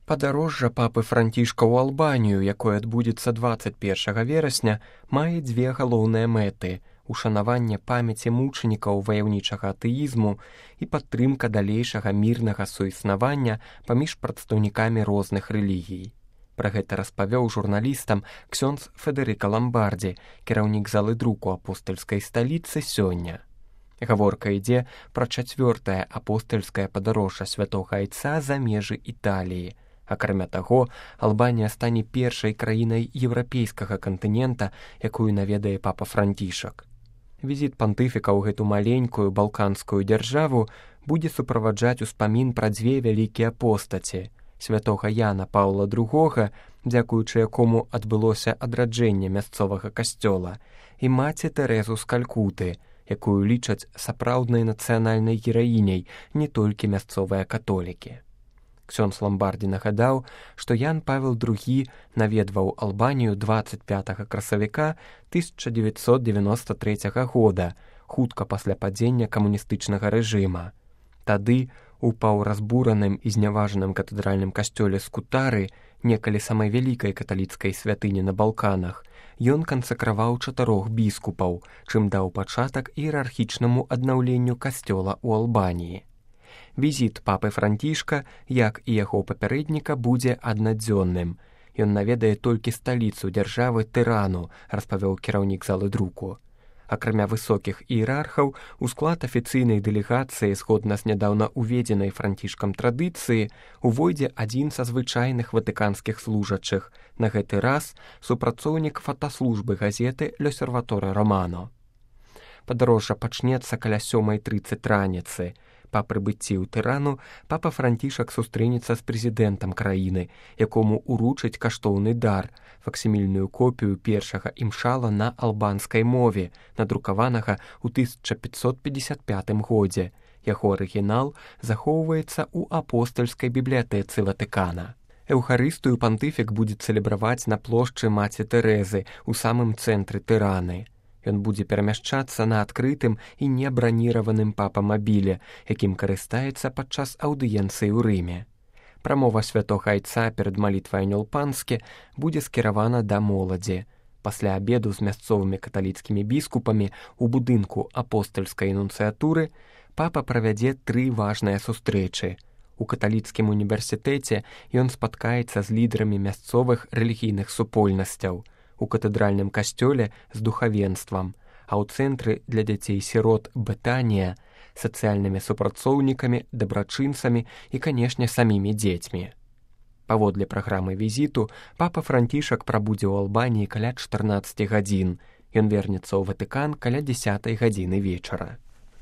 Падарожжа папы Францішка ў Албанію, якое адбудзецца 21 верасня, мае дзве галоўныя мэты: ушанаванне памяці мучанікаў ваяўнічага атэізму і падтрымка далейшага мірнага суіснавання паміж прадстаўнікамі розных рэлігій. Пра гэта распавёў журналістам ксёндз Федэрыка Ламбардзі, кіраўнік залы друку апостальскай сталіцы, сёння. Гаворка ідзе пра 4-е апостальскае падарожжа святога Айца за межы Італіі. Акрамя таго, Албанія стане першай краінай еўрапейскага кантынента, якую наведае папа Францішак. Візіт пантыфіка ў гэту маленькую балканскую дзяржаву будзе суправаджаць успамін пра дзве вялікія постаці: святога Яна Паўла II, дзякуючы якому адбылося адраджэнне мясцовага касцёла, і маці Тэрэзу з Калькуты, якую лічаць сапраўднай нацыянальнай гераіняй не толькі мясцовыя католікі. Ксёндз Ламбардзі нагадаў, што Ян Павел II наведваў Албанію 25 красавіка 1993 года, хутка пасля падзення камуністычнага рэжыма. Тады, у паўразбураным і зняважаным катэдральным касцёле Скутары, некалі самай вялікай каталіцкай святыні на Балканах, ён кансакраваў 4 біскупаў, чым даў пачатак іерархічнаму аднаўленню касцёла ў Албаніі. Візіт папы Францішка, як і яго папярэдніка, будзе аднадзённым. Ён наведае толькі сталіцу дзяржавы Тырану, распавёў кіраўнік залы друку. Акрамя высокіх іерархаў, у склад афіцыйнай дэлегацыі, згодна з нядаўна уведзенай Францішкам традыцыі, увойдзе адзін са звычайных ватыканскіх служачых, на гэты раз супрацоўнік фотаслужбы газеты «L'Osservatore Romano». Падарожжа пачнецца каля 7:30 раніцы. Па прыбыцці ў Тырану папа Францішак сустрэнецца з прэзідэнтам краіны, якому уручаць каштоўны дар, факсімільную копію першага імшала на албанскай мове, надрукаванага ў 1555 годзе. Яго арыгінал захоўваецца ў апостальскай бібліятэцы Ватыкана. Эўхарыстыю пантыфік будзе цэлебраваць на плошчы маці Тэрэзы ў самым цэнтры Тыраны. Ён будзе перамяшчацца на адкрытым і небраніраваным папамабіле, якім карыстаецца падчас аўдыенцыі ў Рыме. Прамова святога Айца перад малітвай Анёл-Панскі будзе скіравана да моладзі. Пасля абеду з мясцовымі каталіцкімі біскупамі ў будынку апостальскай нунцыятуры папа правядзе 3 важныя сустрэчы. У каталіцкім універсітэце ён спаткаецца з лідарамі мясцовых рэлігійных супольнасцяў, у катэдральным касцёле з духавенствам, а ў цэнтры для дзяцей-сірот Бетанія сацыяльнымі супрацоўнікамі, дабрачынцамі і, канешне, самімі дзецьмі. Паводле праграмы візіту, папа Францішак прабудзе ў Албаніі каля 14 гадзін. Ён вернецца ў Ватыкан каля 10 гадзіны вечара.